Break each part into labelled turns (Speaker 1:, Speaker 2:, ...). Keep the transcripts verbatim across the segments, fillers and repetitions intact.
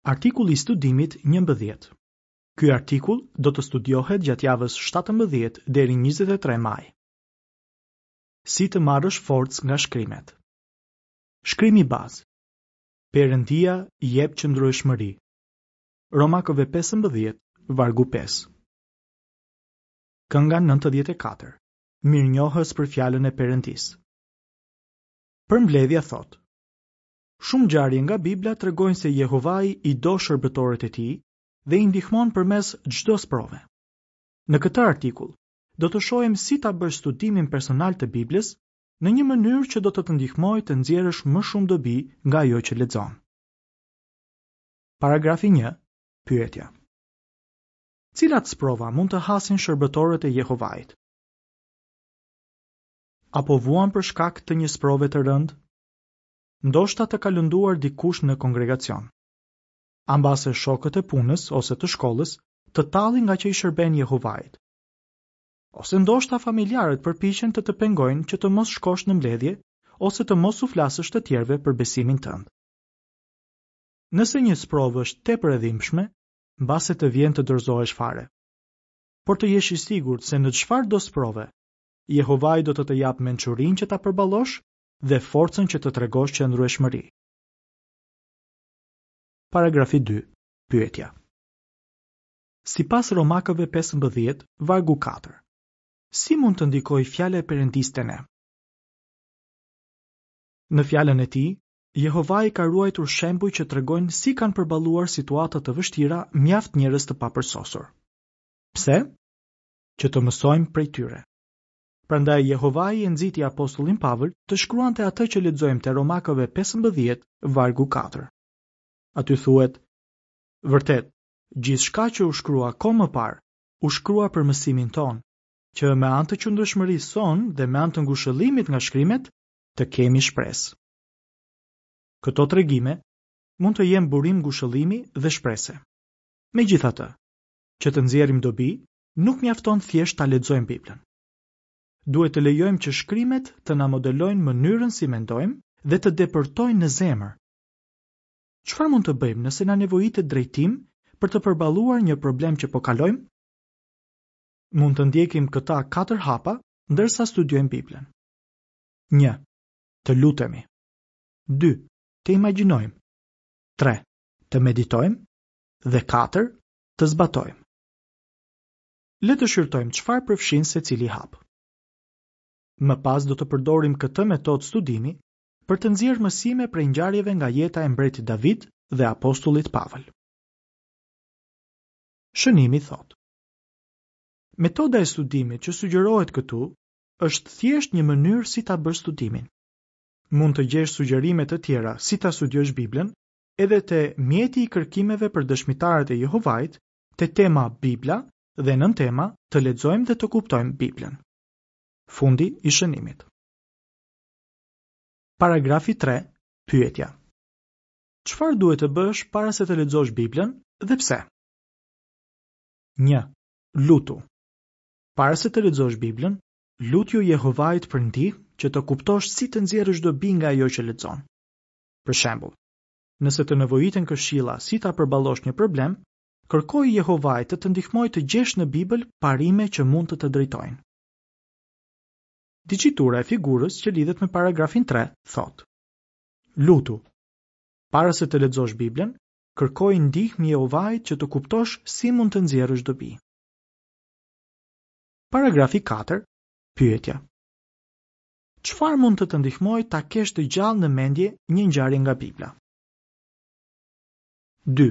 Speaker 1: Artikulli i studimit njëmbëdhjetë. Ky artikull do të studiohet gjatë javës shtatëmbëdhjetë deri njëzet e tre maj. Si të marrësh forcë nga shkrimet. Shkrimi bazë. Perëndia jep qëndrueshmëri. Romakëve pesëmbëdhjetë, vargu pesë. Kënga nëntëdhjetë e katër. Mirënjohës për fjalën e Perëndisë. Përmbledhja thotë: Shumë ngjarje nga Bibla tregojnë se Jehovai i do shërbëtorët e tij dhe i ndihmon përmes çdo sprove. Në këtë artikull do të shohim si ta bësh studimin personal të Biblës në një mënyrë që do të të ndihmojë të nxjerrësh më shumë dobi nga ajo që lexon. Paragrafi një. Pyetja. Cilat sprova mund të hasin shërbëtorët e Jehovait? Apo vuan për shkak të një sprove të rëndë? Ndoshta të ka lënduar dikush në kongregacion. A mbase shokët e punës ose të shkollës të tallin nga që i shërben Jehovait. Ose ndoshta familjarët përpiqen të të pengojnë që të mos shkosh në mbledhje ose të mos u flasësh të tjerëve për besimin tënd. Nëse një sprovë është tepër e dhimbshme, mbase të vjen të dorëzohesh fare. Por të jesh i sigurt se në çfarë do sprove, Jehovai do të të japë mençurinë që ta përballosh dhe forcën që të tregosh qëndrueshmëri. Paragrafi dy. Pyetja. Sipas Romakëve pesëmbëdhjetë, vargu katër. Si mund të ndikojë fjala e Perëndisë te ne? Në fjalën e tij, Jehovai ka ruajtur shembuj që tregojnë si kanë përballuar situata të vështira mjaft njerëz të papërsosur. Pse? Që të mësojmë prej tyre. Prandaj Jehovai e nxiti apostullin Pavël të shkruante atë që lexojmë te Romakëve pesëmbëdhjetë, vargu katër. Aty thuhet: Vërtet, gjithçka që u shkrua kohë më parë, u shkrua për mësimin tonë, që me anë të qëndrueshmërisë sonë dhe me anë të ngushëllimit nga shkrimet, të kemi shpresë. Këto tregime mund të jenë burim ngushëllimi dhe shprese. Megjithatë, që të nxjerrim dobi, nuk mjafton thjesht ta lexojmë Biblën. Duhet të lejojmë që shkrimet të na modelojnë mënyrën si mendojmë dhe të depërtojnë në zemër. Çfarë mund të bëjmë nëse na nevojitet drejtim për të përballuar një problem që po kalojmë? Mund të ndjekim këta katër hapa ndërsa studiojmë Biblën. Një. Të lutemi. Dy. Të imagjinojmë. Tre. Të meditojmë. Dhe katër. Të zbatojmë. Le të shqyrtojmë çfarë përfshin secili hap. Më pas do të përdorim këtë metodë studimi për të nxjerrë mësime prej ngjarjeve nga jeta e mbretit David dhe apostullit Pavël. Shënimi thotë: Metoda e studimit që sugjerohet këtu është thjesht një mënyrë si ta bësh studimin. Mund të gjesh sugjerime të tjera si ta studiosh Biblën edhe te mjeti i kërkimeve për dëshmitarët e Jehovait, te tema Bibla dhe nën tema të lexojmë dhe të kuptojmë Biblën. Fundi i shënimit. Paragrafi tre. Pyetja. Çfarë duhet të bësh para se të lexosh Biblën dhe pse? Një. Lutu. Para se të lexosh Biblën, lutju Jehovait për ndihmë që të kuptosh si të nxjerrësh dobi nga ajo që lexon. Për shembull, nëse të nevojiten këshilla si ta përballosh një problem, kërkoi Jehovait të të ndihmojë të gjesh në Bibël parime që mund të të drejtojnë. Diçitura e figurës që lidhet me paragrafin tre thotë: Lutu. Para se të lexosh Biblën, kërkoi ndihmë Jehovait që të kuptosh si mund të nxjerrësh dobi. Paragrafi katër. Pyetja. Çfarë mund të të ndihmojë ta kesh të gjallë në mendje një ngjarje nga Bibla? Dy.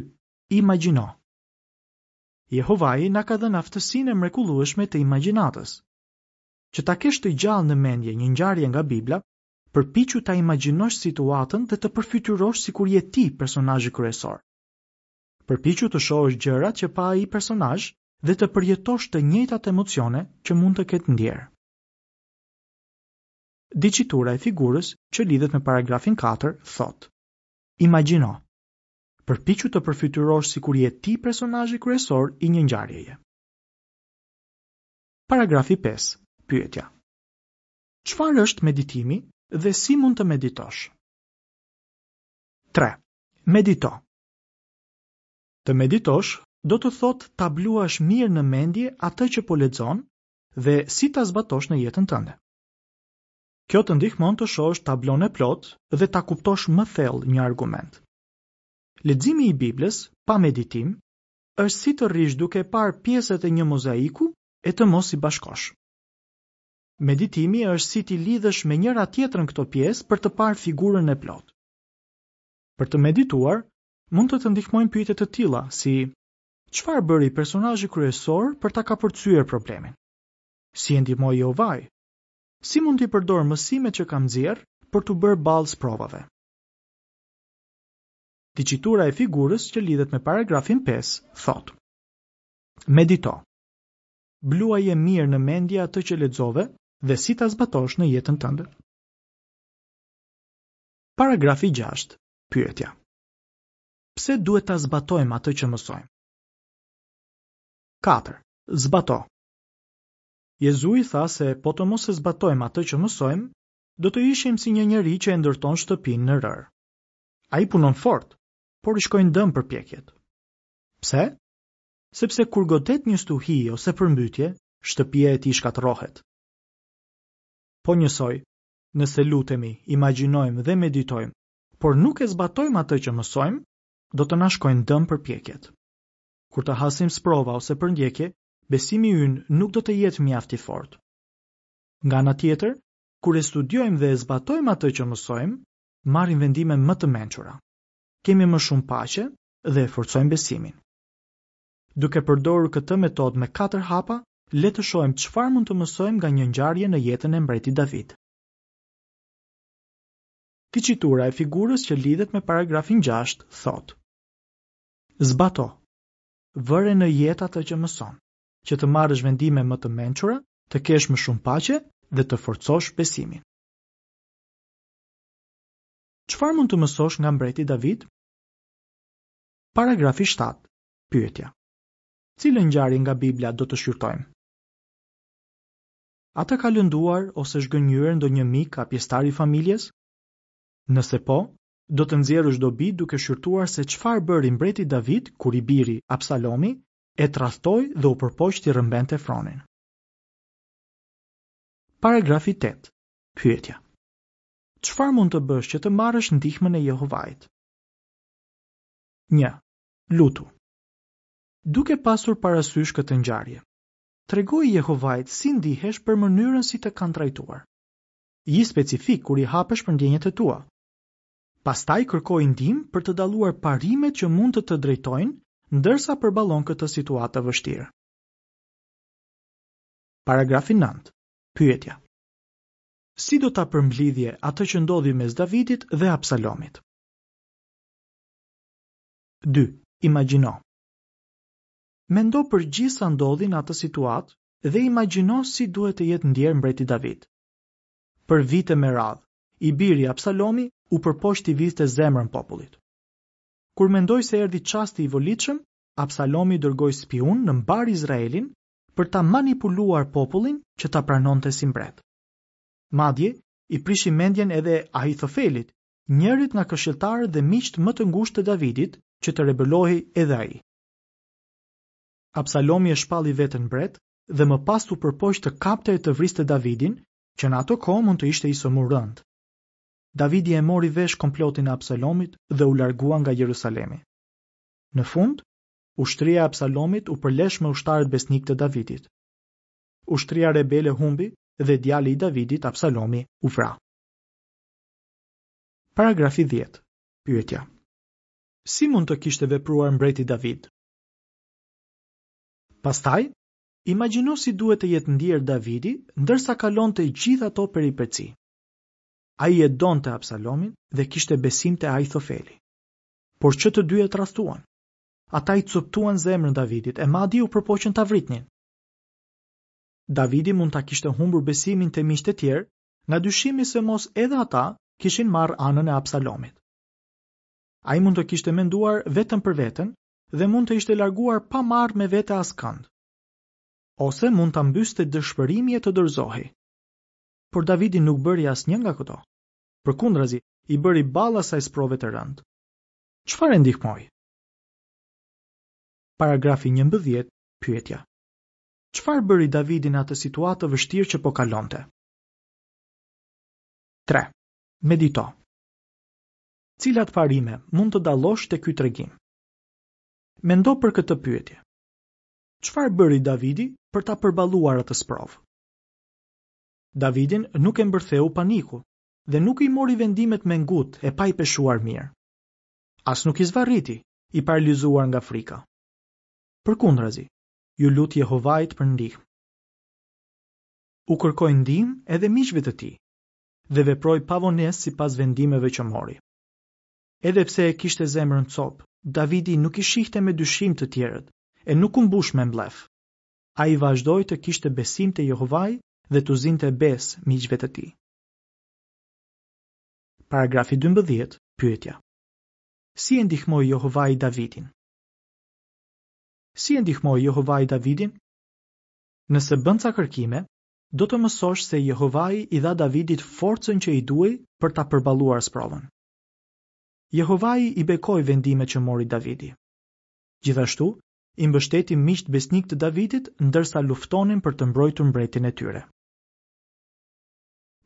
Speaker 1: Imagjino. Jehovai na ka dhënë aftësinë e mrekullueshme të imagjinatës. Që ta kesh të gjallë në mendje një ngjarje nga Bibla, përpiqu ta imagjinosh situatën dhe të përfytyrosh sikur je ti personazhi kryesor. Përpiqu të shohësh gjërat që pa ai personazh dhe të përjetosh të njëjtat emocione që mund të ketë ndjerë. Diçitura e figurës që lidhet me paragrafin katër thotë: Imagjino. Përpiqu të përfytyrosh sikur je ti personazhi kryesor i një ngjarjeje. Paragrafi pesë. Pyetja. Çfarë është meditimi dhe si mund të meditosh? Tre. Medito. Të meditosh do të thotë ta bluash mirë në mendje atë që po lexon dhe si ta zbatosh në jetën tënde. Kjo të ndihmon të shohësh tablon e plotë dhe ta kuptosh më thellë një argument. Leximi i Biblës pa meditim është si të rrish duke parë pjesët e një mozaiku e të mos i bashkosh. Meditimi është si t'i lidhësh me njëra tjetrën këto pjesë për të parë figurën e plotë. Për të medituar, mund të të ndihmojnë pyetje të tilla si: çfarë bëri personazhi kryesor për ta kapërcyer problemin? Si e ndihmoi Jehovai? Si mund t'i përdor mësimet që kam nxjerrë për t'u bërë ballë sprovave? Diçitura e figurës që lidhet me paragrafin pesë thotë: Medito. Bluaje mirë në mendje atë që lexove dhe si ta zbatosh në jetën tënde. Paragrafi gjashtë. Pyetja: Pse duhet ta zbatojmë atë që mësojmë? Katër. Zbato. Jezui tha se po të mos e zbatojmë atë që mësojmë, do të ishim si një njeri që e ndërton shtëpinë në rërë. Ai punon fort, por i shkojnë dëm përpjekjet. Pse? Sepse kur godet një stuhi ose përmbytje, shtëpia e tij shkatërrohet. Po njësoj, nëse lutemi, imagjinojmë dhe meditojmë, por nuk e zbatojmë atë që mësojmë, do të na shkojnë dëm përpjekjet. Kur të hasim sprova ose përndjekje, besimi ynë nuk do të jetë mjaft i fortë. Nga ana tjetër, kur e studiojmë dhe e zbatojmë atë që mësojmë, marrim vendime më të mençura. Kemi më shumë paqe dhe e forcojmë besimin. Duke përdorur këtë metodë me katër hapa, le të shohim çfarë mund të mësojmë nga një ngjarje në jetën e mbretit David. Diçitura e figurës që lidhet me paragrafin gjashtë thotë: Zbato. Vëre në jetë atë që mëson, që të marrësh vendime më të mençura, të kesh më shumë paqe dhe të forcosh besimin. Çfarë mund të mësosh nga mbreti David? Paragrafi shtatë. Pyetja: Cilën ngjarje nga Bibla do të shqyrtojmë? A të ka lënduar ose zhgënjyer ndonjë mik a pjesëtar i familjes? Nëse po, do të nxjerrësh dobi duke shqyrtuar se çfarë bëri mbreti David kur i biri Absalomi e tradhtoi dhe u përpoq t'i rrëmbente fronin. Paragrafi tetë. Pyetja: Çfarë mund të bësh që të marrësh ndihmën e Jehovait? Një. Lutu. Duke pasur parasysh këtë ngjarje, tregoi Jehovait si ndihesh për mënyrën si të kanë trajtuar. Ji specifik kur i hapesh për ndjenjat e tua. Pastaj kërkoi ndihmë për të dalluar parimet që mund të të drejtojnë ndërsa përballon këtë situatë të vështirë. Paragrafi nëntë. Pyetja: Si do ta përmblidhje atë që ndodhi mes Davidit dhe Absalomit? Dy. Imagjino. Mendo për gjithë sa ndodhi në atë situatë dhe imagjino si duhet të jetë ndjerë mbreti David. Për vite me radhë, i biri Absalomi u përpoq t'i vidhte zemrën popullit. Kur mendoi se erdhi çasti i volitshëm, Absalomi dërgoi spiun në mbar Izraelin për ta manipuluar popullin që ta pranonte si mbret. Madje, i prishi mendjen edhe Ahithofelit, njërit nga këshilltarët dhe miqtë më të ngushtë të Davidit, që të rebelohej edhe ai. Absalomi e shpalli veten mbret dhe më pas u përpoq të kapte e të vriste Davidin, që në ato kohë mund të ishte i sëmurë rënd. Davidi e mori vesh komplotin e Absalomit dhe u largua nga Jerusalemi. Në fund, ushtria e Absalomit u përlesh me ushtarët besnik të Davidit. Ushtria rebele humbi dhe djali i Davidit, Absalomi, u vra. Paragrafi dhjetë. Pyetja: Si mund të kishte vepruar mbreti David? Pastaj, imagjino si duhet të jetë ndjerë Davidi ndërsa kalonte gjithë ato peripeci. Ai e donte Absalomin dhe kishte besim te Ahithofeli. Por që të dy e tradhtuan. Ata i coptuan zemrën Davidit e madje u përpoqën ta vritnin. Davidi mund ta kishte humbur besimin te miqtë e tjerë nga dyshimi se mos edhe ata kishin marrë anën e Absalomit. Ai mund të kishte menduar vetëm për veten dhe mund të ishte larguar pa marrë me vete askënd. Ose mund ta mbyste dëshpërimi e të dorëzohej. Por Davidi nuk bëri asnjë nga këto. Përkundrazi, i bëri ballë asaj sprove të rëndë. Çfarë e ndihmoi? Paragrafi njëmbëdhjetë, pyetja. Çfarë bëri Davidi në atë situatë të vështirë që po kalonte? Tre. Medito. Cilat parime mund të dallosh te ky tregim? Mendo për këtë pyetje. Çfarë bëri Davidi për ta përballuar atë sprovë? Davidin nuk e mbërtheu paniku dhe nuk i mori vendimet me ngut e pa i peshuar mirë. As nuk i zvarriti, i paralizuar nga frika. Përkundrazi, iu lut Jehovait për ndihmë. U kërkoi ndihmë edhe miqve të tij dhe veproi pa vonesë sipas vendimeve që mori. Edhe pse e kishte zemrën copë, Davidi nuk i shihte me dyshim të tjerët e nuk u mbush me mllef. Ai vazhdoi të kishte besim te Jehovai dhe t'u zinte besë miqve të tij. Paragrafi dymbëdhjetë, pyetja. Si e ndihmoi Jehovai Davidin? Si e ndihmoi Jehovai Davidin? Nëse bën ca kërkime, do të mësosh se Jehovai i dha Davidit forcën që i duhej për ta përballuar sprovën. Jehovai i bekoi vendimet që mori Davidi. Gjithashtu, i mbështeti miqtë besnikë të Davidit ndërsa luftonin për të mbrojtur mbretin e tyre.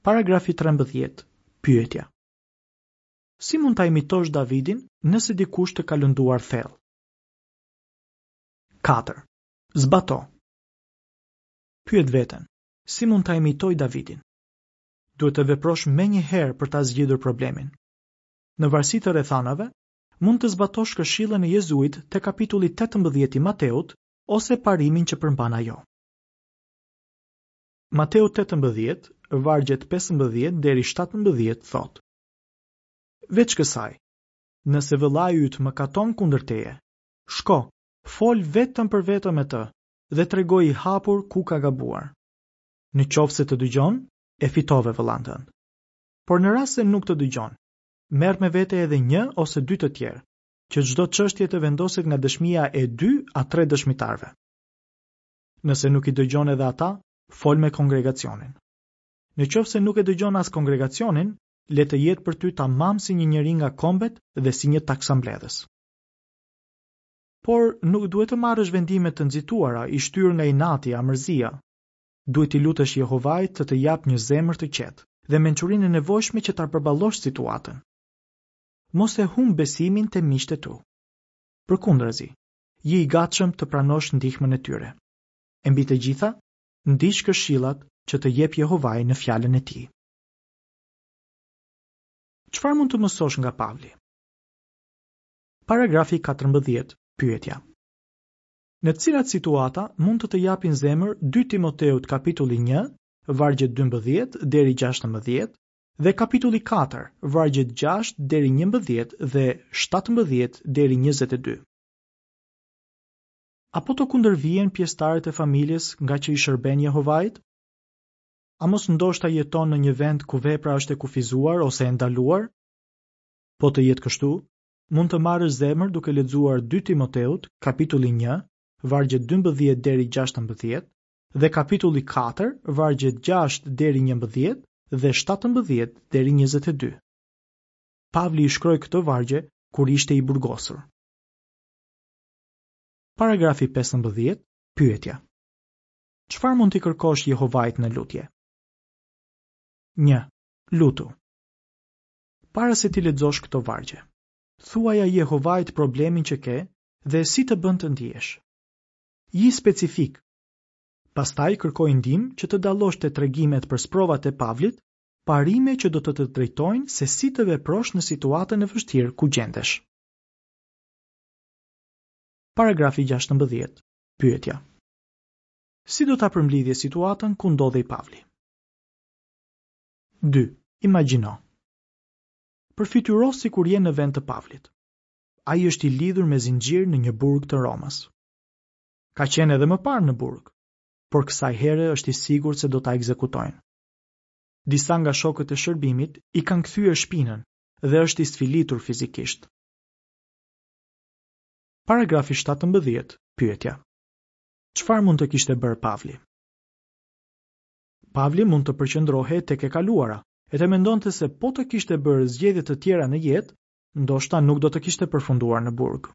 Speaker 1: Paragrafi trembëdhjetë, pyetja. Si mund ta imitosh Davidin nëse dikush të ka lënduar thellë? Katër. Zbato. Pyet veten, si mund ta imitoj Davidin? Duhet të veprosh menjëherë për ta zgjidhur problemin. Në varësi të rrethanave, mund të zbatosh këshillën e Jezuit te kapitulli tetëmbëdhjetë i Mateut ose parimin që përmban ajo. Mateu tetëmbëdhjetë, vargjet pesëmbëdhjetë deri shtatëmbëdhjetë thotë: Veç kësaj, nëse vëllai yt mëkaton kundër teje, shko, fol vetëm për vetëm me të dhe tregoi i hapur ku ka gabuar. Në qoftë se të dëgjon, e fitove vëllain tënd. Por në rast se nuk të dëgjon, merr me vete edhe një ose dy të tjerë, që çdo çështje të vendoset nga dëshmia e dy a tre dëshmitarëve. Nëse nuk i dëgjon edhe ata, fol me kongregacionin. Në qoftë se nuk e dëgjon as kongregacionin, le të jetë për ty tamam si një njeri nga kombet dhe si një taksambledhës. Por nuk duhet të marrësh vendime të nxituara, i shtyrë nga inati a mërzia. Duhet t'i lutesh Jehovait të të japë një zemër të qetë dhe mençurinë e nevojshme që ta përballosh situatën. Mos e humb besimin te miqtë e tu. Përkundrazi, je i gatshëm të pranosh ndihmën e tyre. E mbi të gjitha, ndiq këshillat që të jep Jehovai në fjalën e tij. Çfarë mund të mësosh nga Pavli? Paragrafi katërmbëdhjetë, pyetja. Në cilat situata mund të të japin zemër dy Timoteut kapitulli një, vargjet dymbëdhjetë deri gjashtëmbëdhjetë dhe kapitulli katër, vargjet gjashtë deri njëmbëdhjetë dhe shtatëmbëdhjetë deri njëzet e dy? Apo të kundërvihen pjesëtarët e familjes nga që i shërben Jehovait? A mos ndoshta jeton në një vend ku vepra është e kufizuar ose e ndaluar? Po të jetë kështu, mund të marrësh zemër duke lexuar dy Timoteut, kapitulli një, vargjet dymbëdhjetë deri gjashtëmbëdhjetë, dhe kapitulli katër, vargjet gjashtë deri njëmbëdhjetë dhe shtatëmbëdhjetë deri njëzet e dy. Pavli i shkroi këto vargje kur ishte i burgosur. Paragrafi pesëmbëdhjetë, pyetja. Çfarë mund t'i kërkosh Jehovait në lutje? Një. Lutu. Para se t'i lexosh këto vargje, thuaja Jehovait problemin që ke dhe si të bën të ndihesh. Ji specifik. Pastaj kërkoj ndihmë që të dallosh te tregimet për sprovat e Pavlit, parime që do të të drejtojnë se si të veprosh në situatën e vështirë ku gjendesh. Paragrafi gjashtëmbëdhjetë. Pyetja. Si do ta përmblidhje situatën ku ndodhej Pavli? Dy. Imagjino. Përfytyro sikur je në vend të Pavlit. Ai është i lidhur me zinxhir në një burg të Romës. Ka qenë edhe më parë në burg, por kësaj here është i sigurt se do ta ekzekutojnë. Disa nga shokët e shërbimit i kanë kthyer shpinën dhe është i sfilitur fizikisht. Paragrafi shtatëmbëdhjetë, pyetja. Çfarë mund të kishte bërë Pavli? Pavli mund të përqendrohej tek e kaluara, e të mendonte se po të kishte bërë zgjedhje të tjera në jetë, ndoshta nuk do të kishte përfunduar në burg.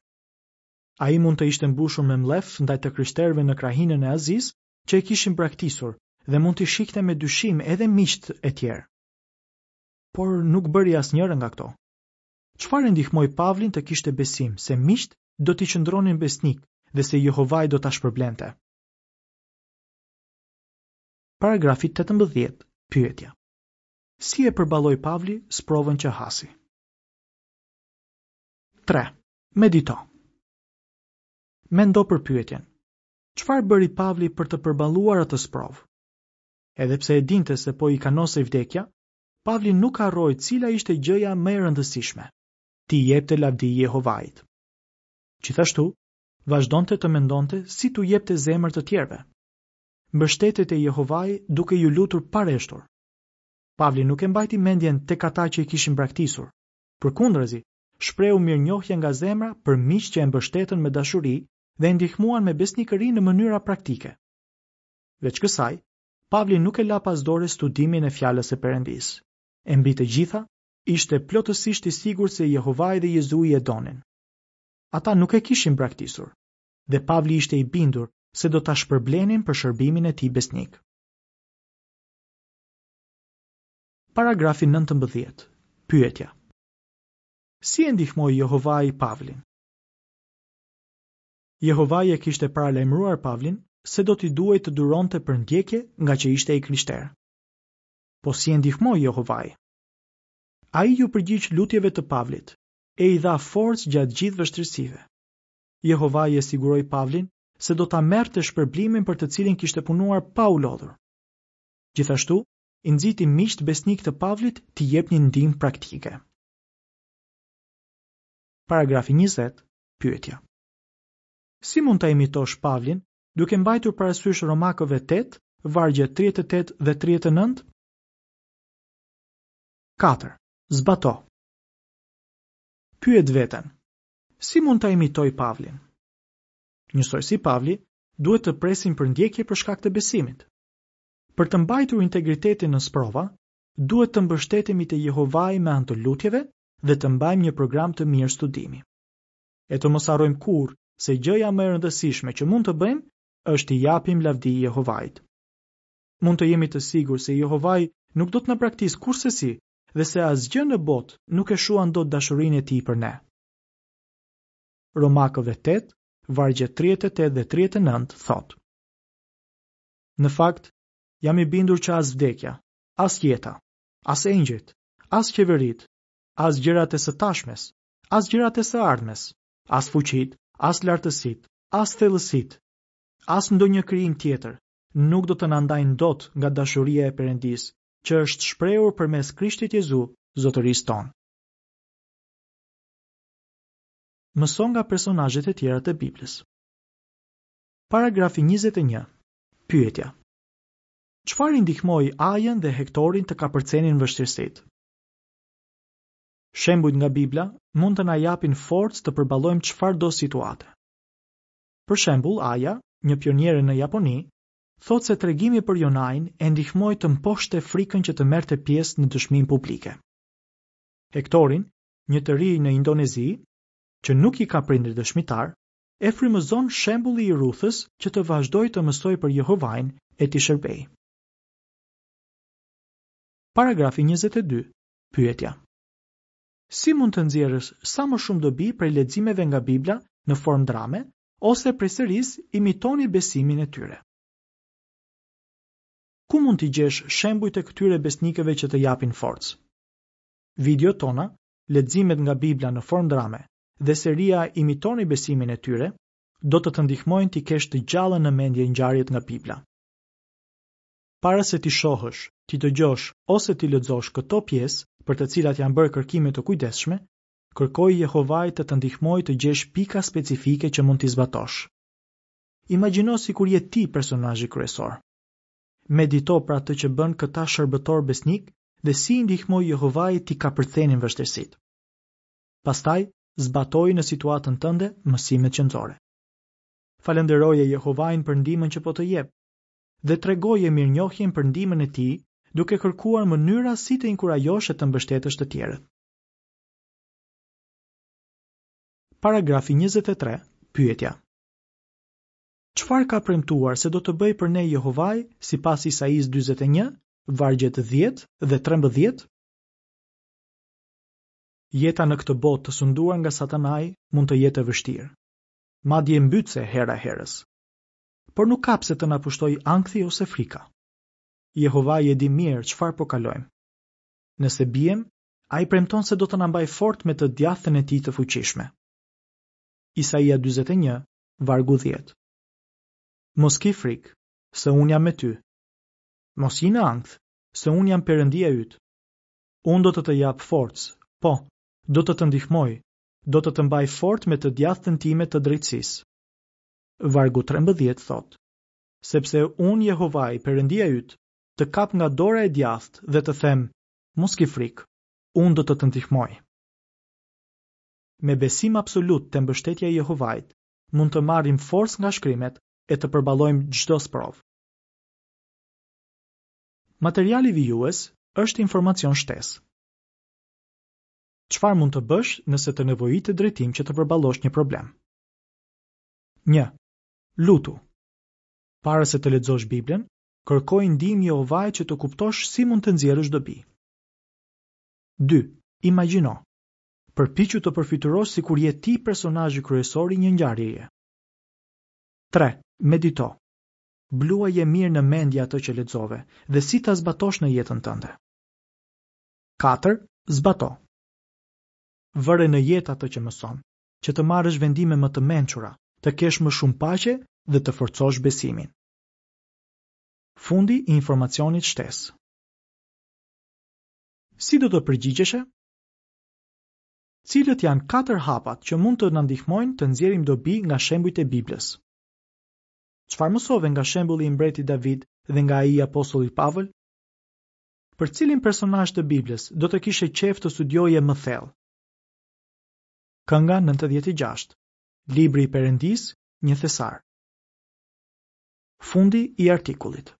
Speaker 1: Ai mund të ishte mbushur me mllef ndaj të krishterëve në krahinën e Azisë që e kishin braktisur dhe mund t'i shihte me dyshim edhe miqtë e tjerë. Por nuk bëri asnjërën nga këto. Çfarë e ndihmoi Pavlin të kishte besim se miqtë do t'i qëndronin besnik dhe se Jehovai do ta shpërblente? Paragrafi tetëmbëdhjetë. Pyetja. Si e përballoi Pavli sprovën që hasi? Tre. Medito. Mendo për pyetjen. Çfarë bëri Pavli për të përballuar atë sprovë? Edhe pse e dinte se po i kanosej vdekja, Pavli nuk harroi cila ishte gjëja më e rëndësishme, t'i jepte lavdi Jehovait. Gjithashtu, vazhdonte të mendonte si t'u jepte zemër të tjerëve. Mbështetej te Jehovai duke iu lutur pareshtur. Pavli nuk e mbajti mendjen tek ata që i kishin braktisur. Përkundrazi, shprehu mirënjohje nga zemra për miqtë që e mbështetën me dashuri dhe e ndihmuan me besnikëri në mënyra praktike. Veç kësaj, Pavli nuk e la pas dore studimin e fjalës së Perëndisë. E mbi të gjitha, ishte plotësisht i sigurt se Jehovai dhe Jezui e donin. Ata nuk e kishin braktisur, dhe Pavli ishte i bindur se do ta shpërblenin për shërbimin e tij besnik. Paragrafi nëntëmbëdhjetë. Pyetja. Si e ndihmoi Jehovai Pavlin? Jehovai e kishte paralajmëruar Pavlin se do t'i duhej të duronte përndjekje nga që ishte i krishterë. Po si e ndihmoi Jehovai? Ai iu përgjigj lutjeve të Pavlit e i dha forcë gjatë gjithë vështirësive. Jehovai e siguroi Pavlin se do ta merrte shpërblimin për të cilin kishte punuar pa u lodhur. Gjithashtu, i nxiti miqtë besnik të Pavlit t'i jepnin ndihmë praktike. Paragrafi njëzet. Pyetja. Si mund ta imitosh Pavlin duke mbajtur parasysh Romakëve tetë, vargje tridhjetë e tetë dhe tridhjetë e nëntë? Katër. Zbato. Pyet veten. Si mund ta imitoj Pavlin? Njësoj si Pavli, duhet të presim përndjekje për shkak të besimit. Për të mbajtur integritetin në sprova, duhet të mbështetemi te Jehovai me anë të lutjeve dhe të mbajmë një program të mirë studimi. E të mos harrojmë kurrë se gjëja më e rëndësishme që mund të bëjmë është t'i japim lavdi Jehovait. Mund të jemi të sigurt se Jehovai nuk do të na braktisë kurrsesi dhe se asgjë në botë nuk e shuan dot dashurinë e tij për ne. Romakëve tetë, vargje tridhjetë e tetë dhe tridhjetë e nëntë thotë: Në fakt, jam i bindur që as vdekja, as jeta, as engjëjt, as qeveritë, as gjërat e së tashmes, as gjërat e së ardhmes, as fuqitë, as lartësitë, as thellësitë, as ndonjë krijim tjetër, nuk do të na ndajnë dot nga dashuria e Perëndisë, që është shprehur përmes Krishtit Jezu, Zotërisë tonë. Mëso nga personazhet e tjera të Biblës. Paragrafi njëzet e një. Pyetja. Çfarë i ndihmoi Ajën dhe Hektorin të kapërcenin vështirësitë? Shembujt nga Bibla mund të na japin forcë të përballojmë çfarëdo situate. Për shembull, Aja, një pioniere në Japoni, thotë se tregimi për Jonain e ndihmoi të mposhte frikën që të merrte pjesë në dëshminë publike. Hektorin, një të ri në Indonezi, që nuk i ka prindër dëshmitar, e frymëzon shembulli i Ruthës që të vazhdojë të mësojë për Jehovain e t'i shërbejë. Paragrafi njëzet e dy. Pyetja. Si mund të nxjerrësh sa më shumë dobi prej leximeve nga Bibla në formë drame ose prej serisë imitoni besimin e tyre? Ku mund t'i gjesh shembujt e këtyre besnikëve që të japin forcë? Videot tona, leximet nga Bibla në formë drame dhe seria Imitoni besimin e tyre do të të ndihmojnë t'i kesh të gjallë në mendje ngjarjet nga Bibla. Para se t'i shohësh, t'i dëgjosh ose t'i lexosh këto pjesë për të cilat janë bërë kërkime të kujdesshme, kërkoj Jehovait të të ndihmojë të gjesh pika specifike që mund t'i zbatosh. Imagjino sikur je ti personazhi kryesor. Medito për atë që bën këta shërbëtor besnik dhe si i ndihmoi Jehovai t'i kapërcenin vështirësitë. Pastaj, zbatoi në situatën tënde mësimet që nxore. Falënderoje Jehovain për ndihmën që po të jep dhe tregoje mirënjohjen për ndihmën e tij, duke kërkuar mënyra si të inkurajosh e të mbështetësh të tjerët. Paragrafi njëzet e tre, Pyetja. Çfarë ka premtuar se do të bëjë për ne Jehovai sipas Isaisë dyzet e një, vargjet dhjetë dhe trembëdhjetë? Jeta në këtë botë të sunduar nga Satanai mund të jetë e vështirë, madje mbytëse hera herës. Por nuk ka pse të na pushtojë ankthi ose frika. Jehovai e di mirë çfarë po kalojmë. Nëse biem, ai premton se do të na mbajë fort me të djathtën e tij të fuqishme. Isaia dyzet e një, vargu dhjetë. Mos ki frikë, se unë jam me ty. Mos ji në ankth, se unë jam Perëndia yt. Unë do të të jap forcë, po, do të të ndihmoj, do të të mbaj fort me të djathtën time të drejtësisë. Vargu trembëdhjetë thotë: Sepse unë Jehovai, Perëndia yt, të kap nga dora e djathtë dhe të them, mos ki frikë, unë do të të ndihmoj. Me besim absolut te mbështetja e Jehovait, mund të marrim forcë nga shkrimet e të përballojmë çdo sprovë. Materiali vijues është informacion shtesë. Çfarë mund të bësh nëse të nevojitet drejtim që të përballosh një problem? Një. Lutu. Para se të lexosh Biblën, kërkoj ndihmë Jehovait që të kuptosh si mund të nxjerrësh dobi. Dy. Imagjino. Përpiqu të përfytyrosh sikur je ti personazhi kryesor i një ngjarjeje. Tre. Medito. Bluaje mirë në mendje atë që lexove dhe si ta zbatosh në jetën tënde. Katër. Zbato. Vëre në jetë atë që mëson, që të marrësh vendime më të mençura, të kesh më shumë paqe dhe të forcosh besimin. Fundi i informacionit shtesë. Si do të përgjigjeshe? Cilët janë katër hapat që mund të na ndihmojnë të nxjerrim dobi nga shembujt e Biblës? Çfarë mësove nga shembulli i mbretit David dhe nga ai i apostollit Pavël? Për cilin personazh të Biblës do të kishe qejf të studioje më thellë? Kënga nëntëdhjetë e gjashtë, Libri i Perëndisë, një thesar. Fundi i artikullit.